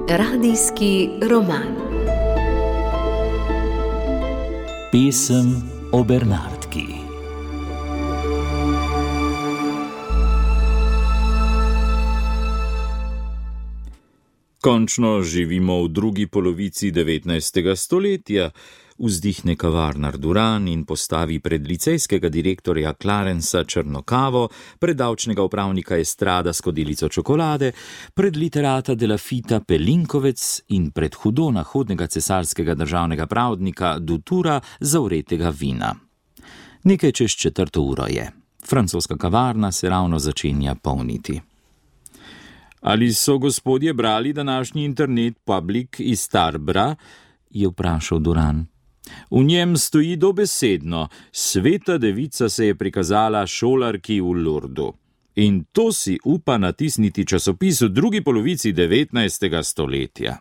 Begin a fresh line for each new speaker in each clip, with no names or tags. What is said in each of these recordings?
Radijski roman.
Pesem o Bernardki.
Končno živimo v drugi polovici 19. stoletja, vzdihne kavarnar Duran in postavi pred licejskega direktorja Clarensa črno kavo, pred davčnega upravnika Estrada skodelico čokolade, pred literata de Lafita pelinkovec in pred hudo nahodnega cesarskega državnega pravdnika Dutura zavretega vina. Nekaj čez 4:00 je. Francoska kavarna se ravno začenja polniti. Ali so gospodje brali današnji internet public iz Tarbra? Je vprašal Duran. V njem stoji dobesedno: sveta devica se je prikazala šolarki v Lurdu. In to si upa natisniti časopis v drugi polovici 19. stoletja.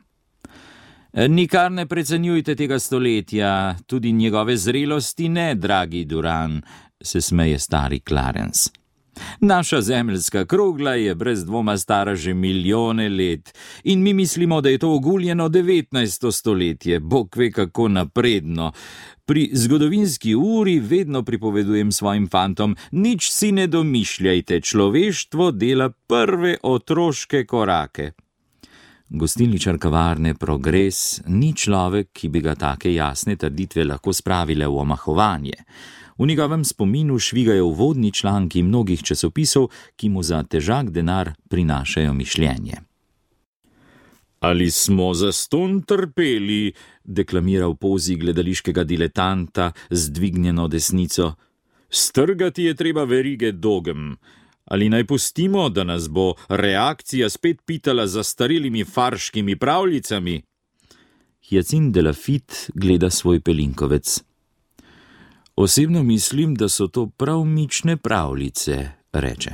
Nikar ne precenjujte tega stoletja, tudi njegove zrelosti ne, dragi Duran, se smeje stari Clarence. Naša zemeljska krogla je brez dvoma stara že milijone let in mi mislimo, da je to oguljeno 19. stoletje, bog ve kako napredno. Pri zgodovinski uri vedno pripovedujem svojim fantom: nič si ne domišljajte, človeštvo dela prve otroške korake. Gostilničar kavarne Progres ni človek, ki bi ga take jasne trditve lahko spravile v omahovanje. V njegovem spominu švigajo uvodni članki mnogih časopisov, ki mu za težak denar prinašajo mišljenje. Ali smo zastonj trpeli, deklamira v pozi gledališkega diletanta z dvignjeno desnico. Strgati je treba verige dogem. Ali naj pustimo, da nas bo reakcija spet pitala z zastarelimi farškimi pravljicami? Hyacinthe de Lafite gleda svoj pelinkovec. Osebno mislim, da so to prav mične pravljice, reče.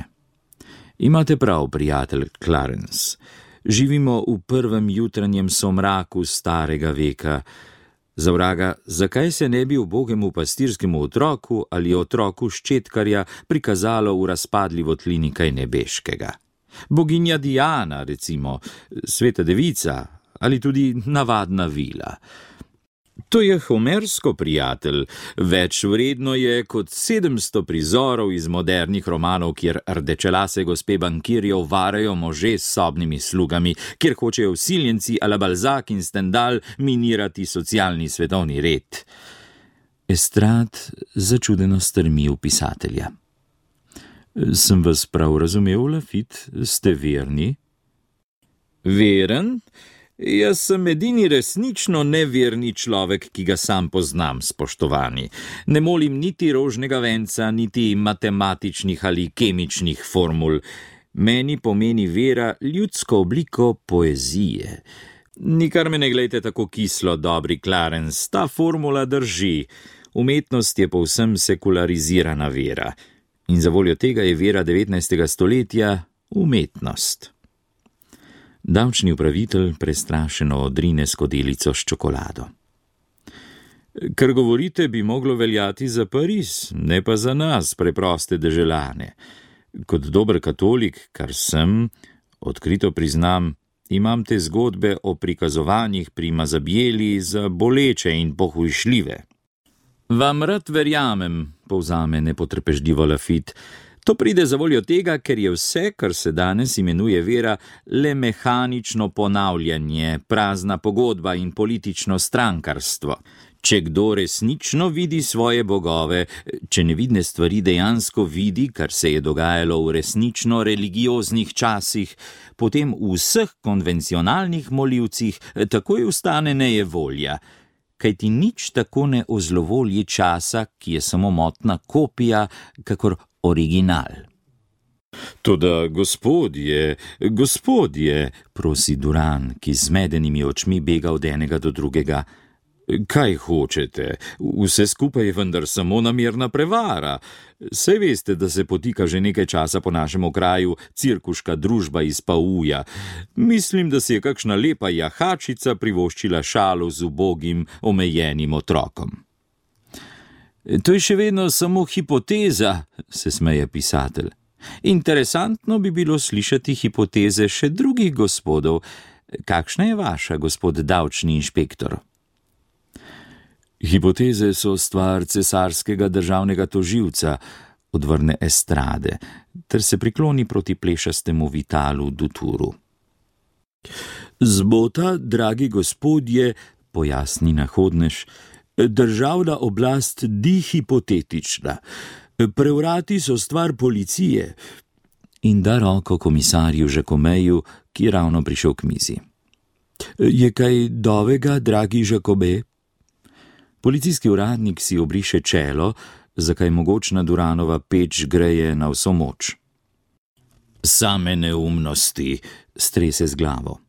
Imate prav, prijatelj Clarence. Živimo v prvem jutranjem somraku starega veka. Za vraga, zakaj se ne bi ubogemu pastirskemu otroku ali otroku ščetkarja prikazalo v razpadli votlini kaj nebeškega? Boginja Diana, recimo, sveta devica ali tudi navadna vila. To je homersko, prijatelj, več vredno je kot 700 prizorov iz modernih romanov, kjer rdečelase gospe bankirjev varajo može s sobnimi slugami, kjer hočejo vsiljenci a la Balzac in Stendhal minirati socialni svetovni red. Estrad začudeno strmi v pisatelja. Sem vas prav razumel, Lafite, ste verni? Veren? Jaz sem edini resnično neverni človek, ki ga sam poznam, spoštovani. Ne molim niti rožnega venca, niti matematičnih ali kemičnih formul. Meni pomeni vera ljudsko obliko poezije. Nikar me ne glejte tako kislo, dobri Clarence, ta formula drži. Umetnost je povsem sekularizirana vera. In za voljo tega je vera 19. stoletja umetnost. Davčni upravitelj prestrašeno odrine skodelico s čokolado. Kar govorite, bi moglo veljati za Pariz, ne pa za nas, preproste deželane. Kot dober katolik, kar sem, odkrito priznam, imam te zgodbe o prikazovanjih pri Mazabjeli za boleče in pohujšljive. Vam rad verjamem, povzame nepotrpežljivo Lafite. To pride za voljo tega, ker je vse, kar se danes imenuje vera, le mehanično ponavljanje, prazna pogodba in politično strankarstvo. Če kdo resnično vidi svoje bogove, če nevidne stvari dejansko vidi, kar se je dogajalo v resnično religioznih časih, potem v vseh konvencionalnih molivcih takoj ustane nejevolja. Kajti nič tako ne ozlovolji časa, ki je samo motna kopija, kakor original. Toda gospodje, prosi Duran, ki z zmedenimi očmi bega od enega do drugega. Kaj hočete? Vse skupaj je vendar samo namerna prevara. Saj veste, da se potika že nekaj časa po našem kraju cirkuška družba iz Pauja. Mislim, da si je kakšna lepa jahačica privoščila šalo z ubogim, omejenim otrokom. To je še vedno samo hipoteza, se smeje pisatelj. Interesantno bi bilo slišati hipoteze še drugih gospodov. Kakšna je vaša, gospod davčni inšpektor? Hipoteze so stvar cesarskega državnega tožilca, odvrne Estrade, ter se prikloni proti plešastemu Vitalu Duturu. Zbota, dragi gospodje, pojasni nahodnež, državna oblast ni hipotetična. Prevrati so stvar policije. In da roko komisarju Žakomeju, ki je ravno prišel k mizi. Je kaj novega, dragi Žakome? Policijski uradnik si obriše čelo, zakaj mogočna Duranova peč greje na vso moč. Same neumnosti, strese z glavo.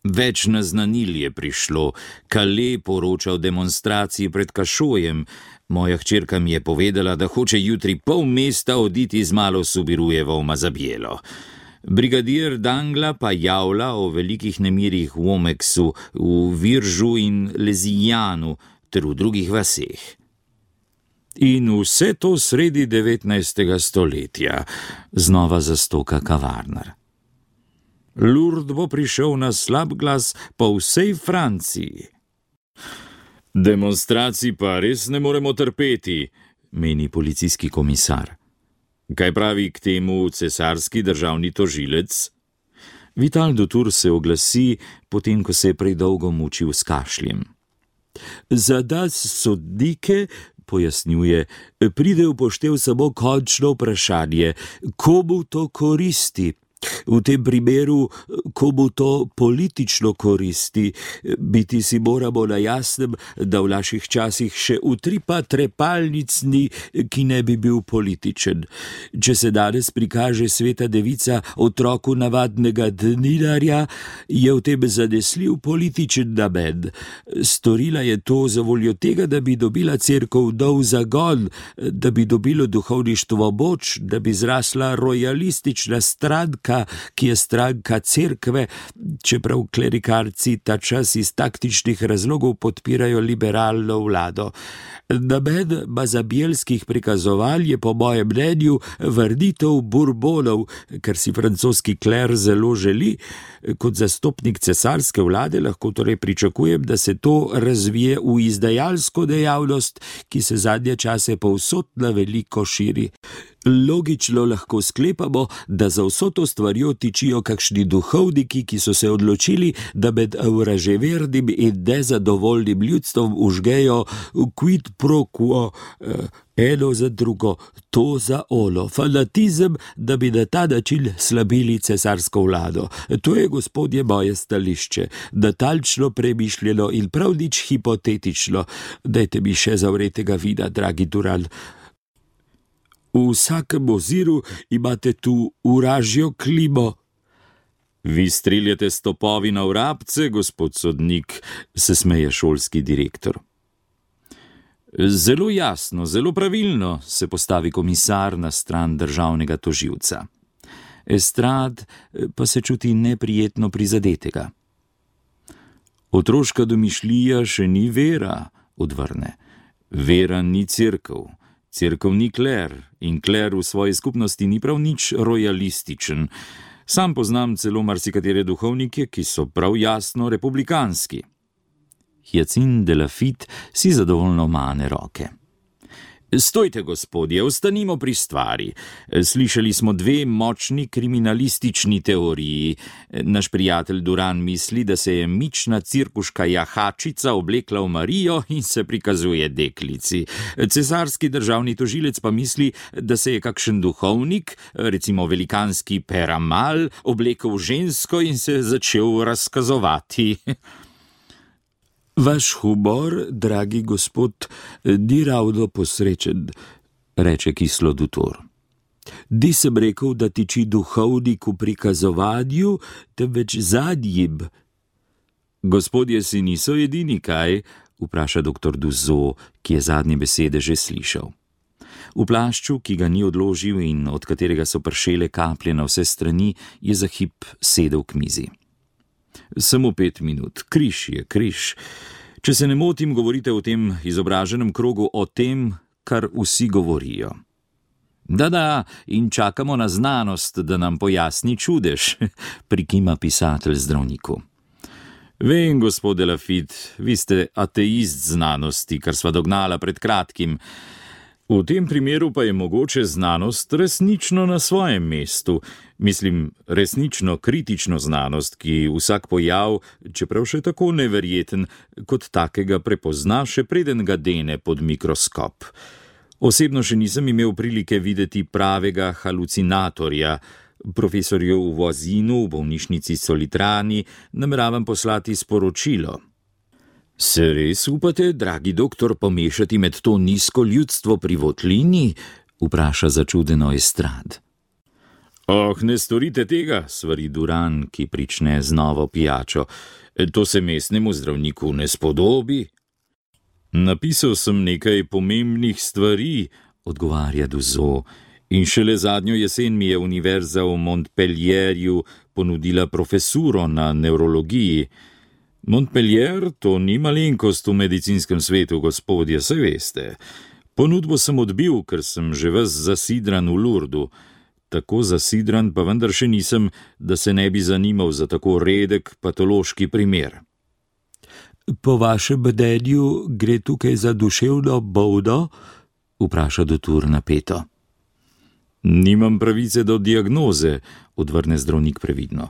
Več naznanil je prišlo, Kale poroča o demonstraciji pred Kašojem. Moja hčerka mi je povedala, da hoče jutri pol mesta oditi z malo Subirujevo v Mazabjelo. Brigadir Dangla pa javlja o velikih nemirih v Omeksu, v Viržu in Lezijanu ter v drugih vaseh. In vse to sredi 19. stoletja, znova zastoka kavarnar. Lourdes bo prišel na slab glas po vsej Franciji. Demonstracij pa res ne moremo trpeti, meni policijski komisar. Kaj pravi k temu cesarski državni tožilec? Vital Dutur se oglasi, potem ko se je prej dolgo mučil s kašljem. Za nas sodnike, pojasnjuje, pride v poštev samo končno vprašanje, komu to koristi. V tem primeru, komu to politično koristi, biti si moramo na jasnem, da v naših časih še utripa trepalnic ni, ki ne bi bil političen. Če se danes prikaže sveta devica otroku navadnega dninarja, je v tem zanesljiv političen namen. Storila je to za voljo tega, da bi dobila cerkev nov zagon, da bi dobilo duhovništvo moč, da bi zrasla rojalistična stranka, ki je stranka cerkve, čeprav klerikarci ta čas iz taktičnih razlogov podpirajo liberalno vlado. Namen mazabjelskih prikazovanj je po mojem mnenju vrnitev Bourbonov, kar si francoski kler zelo želi. Kot zastopnik cesarske vlade lahko torej pričakujem, da se to razvije v izdajalsko dejavnost, ki se zadnje čase povsod na veliko širi. Logično lahko sklepamo, da za vso to stvarjo tičijo kakšni duhovniki, ki so se odločili, da med vraževernim in nezadovoljnim ljudstvom užgejo quid pro quo, eno za drugo, to za ono, fanatizem, da bi na ta način slabili cesarsko vlado. To je, gospodje, moje stališče, natančno premišljeno in prav nič hipotetično. Dajte mi še zavretega vina, dragi Duran. V vsakem oziru imate tu uražjo klimo. Vi streljate s topovi na vrabce, gospod sodnik, se smeje šolski direktor. Zelo jasno, zelo pravilno, se postavi komisar na stran državnega tožilca. Estrade pa se čuti neprijetno prizadetega. Otroška domišljija še ni vera, odvrne. Vera ni cerkev. Cerkev ni kler in kler v svoji skupnosti ni prav nič rojalističen. Sam poznam celo marsikatere duhovnike, ki so prav jasno republikanski. Hyacinthe de Laffitte si zadovoljno mane roke. Stojte, gospodje, ostanimo pri stvari. Slišali smo dve močni kriminalistični teoriji. Naš prijatelj Duran misli, da se je mična cirkuška jahačica oblekla v Marijo in se prikazuje deklici. Cesarski državni tožilec pa misli, da se je kakšen duhovnik, recimo velikanski Peramal, oblekel v žensko in se začel razkazovati. Vaš humor, dragi gospod, ni ravno posrečen, reče kislo Dutor. Di sem rekel, da tiči duhovnik v prikazovanju, temveč zadnjim. Gospodje si niso edini, kaj? Vpraša doktor Duzo, ki je zadnje besede že slišal. V plašču, ki ga ni odložil in od katerega so pršele kaplje na vse strani, je za hip sedel k mizi. Samo 5 minut, križ je križ. Če se ne motim, govorite v tem izobraženem krogu o tem, kar vsi govorijo. Da, in čakamo na znanost, da nam pojasni čudež, prikima pisatelj zdravniku. Vem, gospod Lafitte, vi ste ateist znanosti, kar sva dognala pred kratkim. V tem primeru pa je mogoče znanost resnično na svojem mestu. Mislim, resnično kritično znanost, ki vsak pojav, čeprav še tako neverjeten, kot takega prepozna, še preden ga dene pod mikroskop. Osebno še nisem imel prilike videti pravega halucinatorja. Profesorju Voisinu v bolnišnici Solitrani nameravam poslati sporočilo. Se res upate, dragi doktor, pomešati med to nizko ljudstvo pri votlini? Vpraša začudeno Estrad. Oh, ne storite tega, svari Duran, ki prične z novo pijačo. To se mestnemu zdravniku ne spodobi. Napisal sem nekaj pomembnih stvari, odgovarja Duzo, in šele zadnjo jesen mi je univerza v Montpellierju ponudila profesuro na nevrologiji. Montpellier, to ni malenkost v medicinskem svetu, gospodje, saj veste. Ponudbo sem odbil, ker sem že ves zasidran v Lourdu. Tako zasidran pa vendar še nisem, da se ne bi zanimal za tako redek patološki primer. Po vašem mnenju gre tukaj za duševno bolno? Vpraša doktor napeto. Nimam pravice do diagnoze, odvrne zdravnik previdno.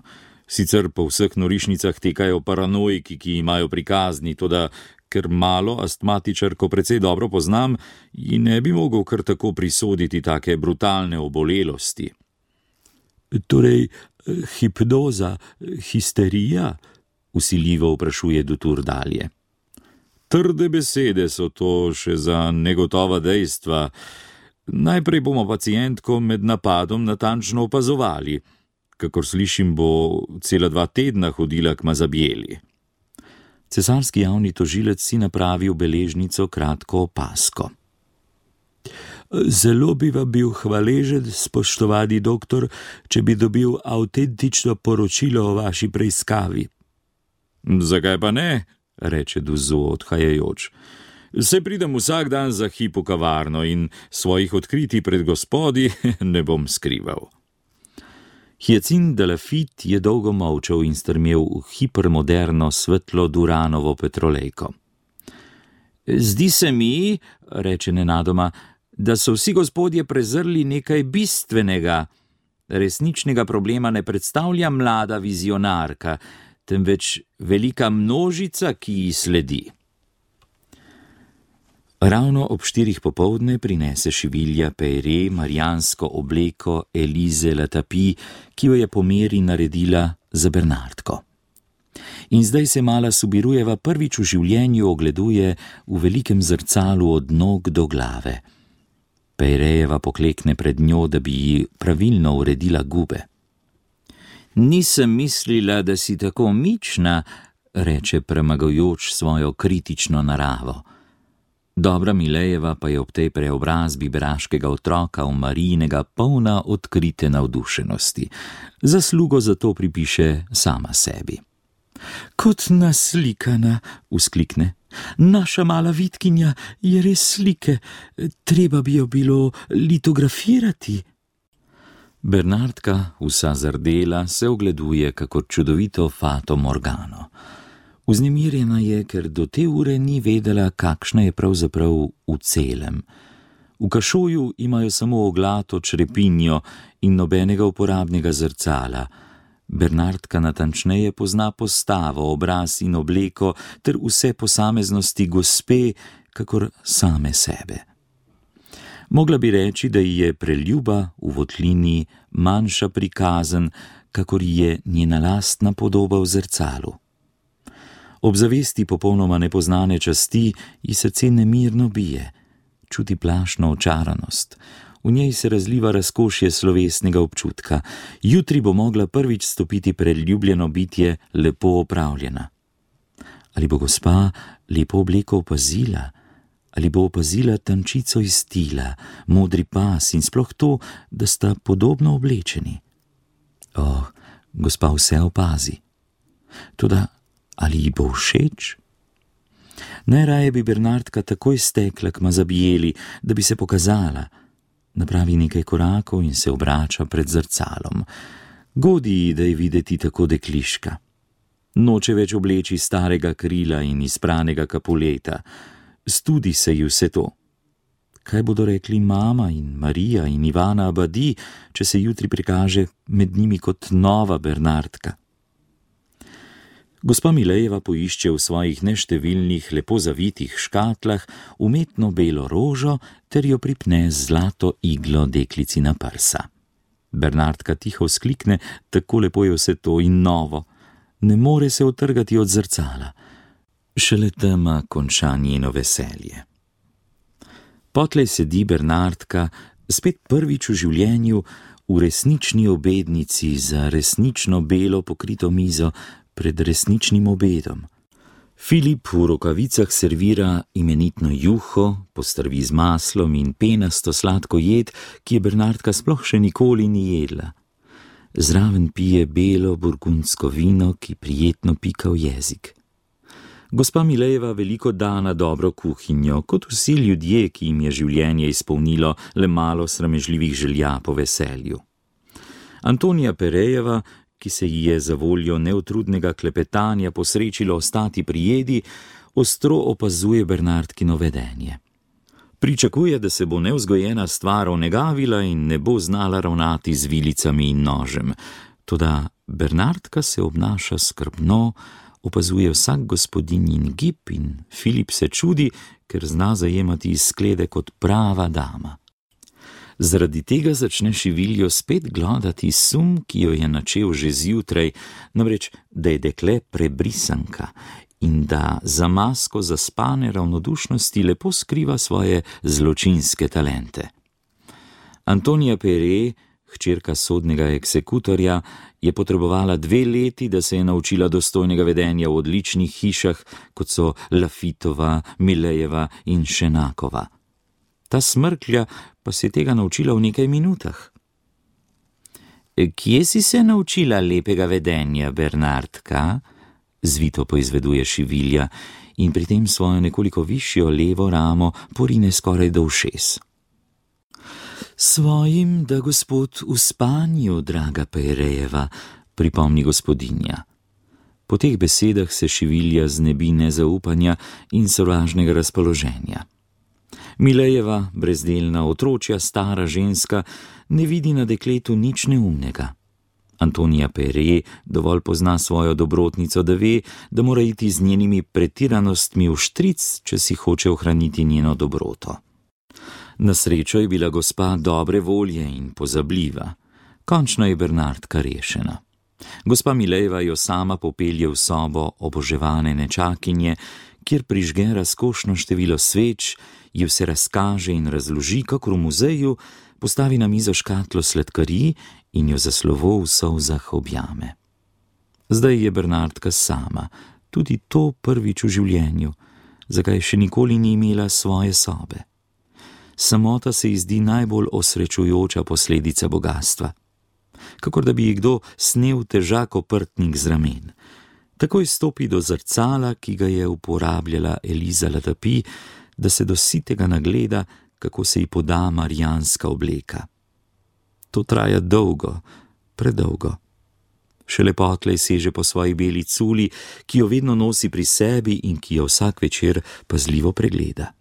Sicer po vseh norišnicah tekajo paranoiki, ki imajo prikazni, toda ker malo astmatičarko precej dobro poznam, ji ne bi mogel kar tako prisoditi take brutalne obolelosti. Torej, hipnoza, histerija? Vsiljivo vprašuje doktor dalje. Trde besede so to še za negotova dejstva. Najprej bomo pacientko med napadom natančno opazovali. Kakor slišim, bo cela 2 tedna hodila k Mazabjeli. Cesarski javni tožilec si napravi v beležnico kratko opazko. Zelo bi vam bil hvaležen, spoštovani doktor, če bi dobil avtentično poročilo o vaši preiskavi. Zakaj pa ne? Reče Duzo odhajajoč. Se pridem vsak dan za hip v kavarno in svojih odkritij pred gospodi ne bom skrival. Hyacinthe de Lafitte je dolgo molčal in strmel v hipermoderno svetlo Duranovo petrolejko. Zdi se mi, reče nenadoma, da so vsi gospodje prezrli nekaj bistvenega. Resničnega problema ne predstavlja mlada vizionarka, temveč velika množica, ki ji sledi. Ravno ob 4 popoldne prinese šivilja Peyre marijansko obleko Elize Latapi, ki jo je po meri naredila za Bernardko. In zdaj se mala Subirujeva prvič v življenju ogleduje v velikem zrcalu od nog do glave. Peyrejeva poklekne pred njo, da bi ji pravilno uredila gube. Nisem mislila, da si tako mična, reče premagujoč svojo kritično naravo. Dobra Milejeva pa je ob tej preobrazbi beraškega otroka v Marijinega polna odkrite navdušenosti. Zaslugo za to pripiše sama sebi. Kot naslikana, vzklikne. Naša mala vitkinja je res slike, treba bi jo bilo litografirati. Bernardka, vsa zardela, se ogleduje kakor čudovito Fato Morgano. Vznemirjena je, ker do te ure ni vedela, kakšna je pravzaprav v celem. V kašoju imajo samo oglato črepinjo in nobenega uporabnega zrcala. Bernardka natančneje pozna postavo, obraz in obleko ter vse posameznosti gospe, kakor same sebe. Mogla bi reči, da ji je preljuba v votlini manjša prikazen, kakor je njena lastna podoba v zrcalu. Ob zavesti popolnoma nepoznane časti ji srce nemirno bije, čuti plašno očaranost. V njej se razliva razkošje slovesnega občutka. Jutri bo mogla prvič stopiti pred ljubljeno bitje lepo opravljena. Ali bo gospa lepo obleko opazila? Ali bo opazila tančico iz stila, modri pas in sploh to, da sta podobno oblečeni? Gospa vse opazi. Toda ali ji bo všeč? Najraje bi Bernardka takoj stekla k Mazabijeli, da bi se pokazala. Napravi nekaj korakov in se obrača pred zrcalom. Godi ji, da je videti tako dekliška. Noče več obleči starega krila in izpranega kapuleta. Studi se ji vse to. Kaj bodo rekli mama in Marija in Ivana Abadi, če se jutri prikaže med njimi kot nova Bernardka? Gospa Milejeva poišče v svojih neštevilnih, lepo zavitih škatlah umetno belo rožo ter jo pripne z zlato iglo deklici na prsa. Bernardka tiho vzklikne, tako lepo je vse to in novo. Ne more se utrgati od zrcala. Šele tema konča njeno veselje. Potlej sedi Bernardka, spet prvič v življenju, v resnični obednici za resnično belo pokrito mizo pred resničnim obedom. Filip v rokavicah servira imenitno juho, postrvi z maslom in penasto sladko jed, ki je Bernardka sploh še nikoli ni jedla. Zraven pije belo burgundsko vino, ki prijetno pika v jezik. Gospa Milejeva veliko da na dobro kuhinjo, kot vsi ljudje, ki jim je življenje izpolnilo le malo sramežljivih želja po veselju. Antonija Perejeva, ki se ji je za voljo neutrudnega klepetanja posrečilo ostati pri jedi, ostro opazuje Bernardkino vedenje. Pričakuje, da se bo nevzgojena stvar onegavila in ne bo znala ravnati z vilicami in nožem. Toda Bernardka se obnaša skrbno, opazuje vsak gospodinjin gib in Filip se čudi, ker zna zajemati izglede kot prava dama. Zaradi tega začne šiviljo spet glodati sum, ki jo je načel že zjutraj, namreč, da je dekle prebrisanka in da za masko zaspane ravnodušnosti lepo skriva svoje zločinske talente. Antonija Pere, hčerka sodnega eksekutorja, je potrebovala 2 leti, da se je naučila dostojnega vedenja v odličnih hišah, kot so Lafitova, Milejeva in Šenakova. Ta smrklja pa se je tega naučila v nekaj minutah. Kje si se naučila lepega vedenja, Bernardka? Zvito poizveduje šivilja in pri tem svojo nekoliko višjo levo ramo porine skoraj do ušes. Svojim, da gospod v spanju, draga Perejeva, pripomni gospodinja. Po teh besedah se šivilja znebi nezaupanja in sovražnega razpoloženja. Milejeva, brezdelna, otročja, stara ženska, ne vidi na dekletu nič neumnega. Antonija Pere dovolj pozna svojo dobrotnico, da ve, da mora iti z njenimi pretiranostmi v štric, če si hoče ohraniti njeno dobroto. Na srečo je bila gospa dobre volje in pozabljiva. Končno je Bernardka rešena. Gospa Milejeva jo sama popelje v sobo oboževane nečakinje, kjer prižge razkošno število sveč, ji vse razkaže in razloži, kakor v muzeju, postavi na mizo škatlo sladkarij in jo za slovo v solzah objame. Zdaj je Bernardka sama, tudi to prvič v življenju, zakaj še nikoli ni imela svoje sobe. Samota se ji zdi najbolj osrečujoča posledica bogastva. Kakor da bi ji kdo snel težak oprtnik z ramen. Takoj stopi do zrcala, ki ga je uporabljala Eliza Latapi, da se do sitega nagleda, kako se ji poda marijanska obleka. To traja dolgo, predolgo. Šele potlej seže po svoji beli culi, ki jo vedno nosi pri sebi in ki jo vsak večer pazljivo pregleda.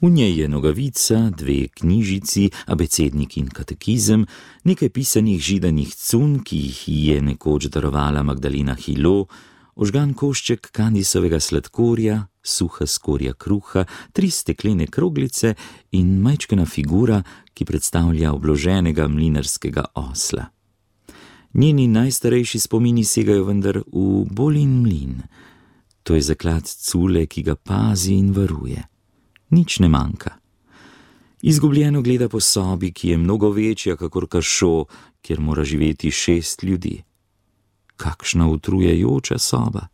V njej je nogavica, 2 knjižici, abecednik in katekizem, nekaj pisanih židanih cun, ki jih je nekoč darovala Magdalena Hilo, ožgan košček kandisovega sladkorja, suha skorja kruha, 3 steklene kroglice in majčkena figura, ki predstavlja obloženega mlinarskega osla. Njeni najstarejši spomini segajo vendar v Bolin mlin. To je zaklad cule, ki ga pazi in varuje. Nič ne manjka. Izgubljeno gleda po sobi, ki je mnogo večja kakor Kašo, kjer mora živeti 6 ljudi. Kakšna utrujajoča soba.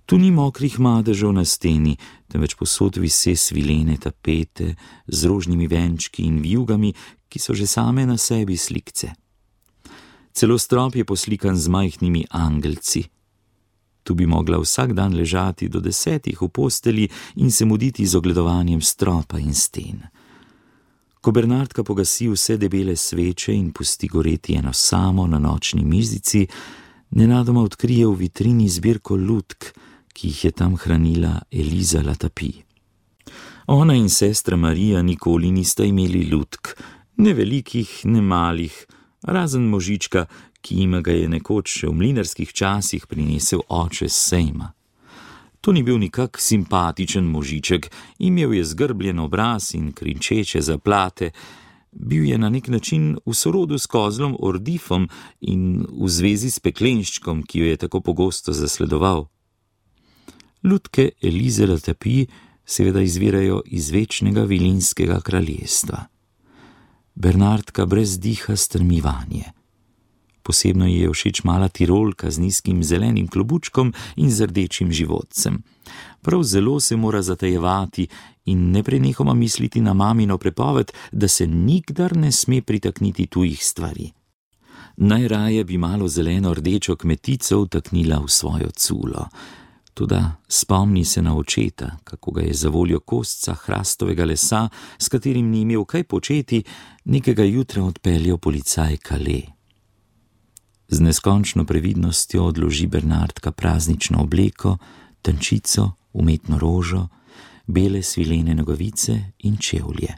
Tu ni mokrih madežev na steni, temveč povsod vise svilene tapete z rožnimi venčki in vijugami, ki so že same na sebi slikce. Celo strop je poslikan z majhnimi angelci. Tu bi mogla vsak dan ležati do 10 v posteli in se muditi z ogledovanjem stropa in sten. Ko Bernardka pogasi vse debele sveče in pusti goreti eno samo na nočni mizici, nenadoma odkrije v vitrini zbirko lutk, ki jih je tam hranila Eliza Latapi. Ona in sestra Marija nikoli nista imeli lutk, ne velikih, ne malih, razen možička, ki jima ga je nekoč še v mlinarskih časih prinesel oče s sejma. To ni bil nikak simpatičen možiček, imel je zgrbljen obraz in krinčeče zaplate, bil je na nek način v sorodu s kozlom Ordifom in v zvezi s peklenščkom, ki jo je tako pogosto zasledoval. Lutke Elize Latapi seveda izvirajo iz večnega vilinskega kraljestva. Bernardka brez diha strmi vanje. Posebno ji je všeč mala Tirolka z nizkim zelenim klobučkom in z rdečim životcem. Prav zelo se mora zatajevati in neprenehoma misliti na mamino prepoved, da se nikdar ne sme pritakniti tujih stvari. Najraje bi malo zeleno-rdečo kmetico vtaknila v svojo culo. Toda spomni se na očeta, kako ga je zavoljo kosca hrastovega lesa, s katerim ni imel kaj početi, nekega jutra odpeljal policaj Calais. Z neskončno previdnostjo odloži Bernardka praznično obleko, tančico, umetno rožo, bele svilene nogavice in čevlje.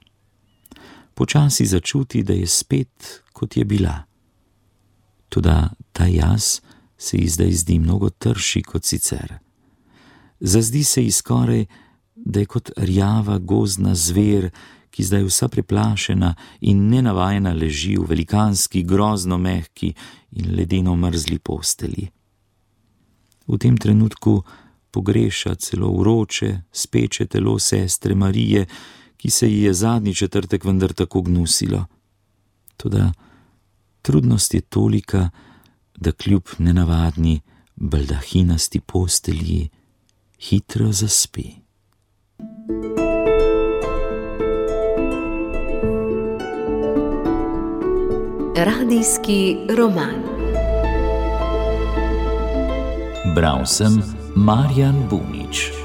Počasi začuti, da je spet, kot je bila. Toda ta jaz se ji zdaj zdi mnogo trši kot sicer. Zazdi se ji skoraj, da je kot rjava gozdna zver, ki zdaj vsa preplašena in nenavajena leži v velikanski, grozno mehki in ledeno mrzli posteli. V tem trenutku pogreša celo vroče, speče telo sestre Marije, ki se ji je zadnji četrtek vendar tako gnusilo. Toda trudnost je tolika, da kljub nenavadni, baldahinasti postelji hitro zaspi.
Radijski roman.
Bral sem Marjan Bunič.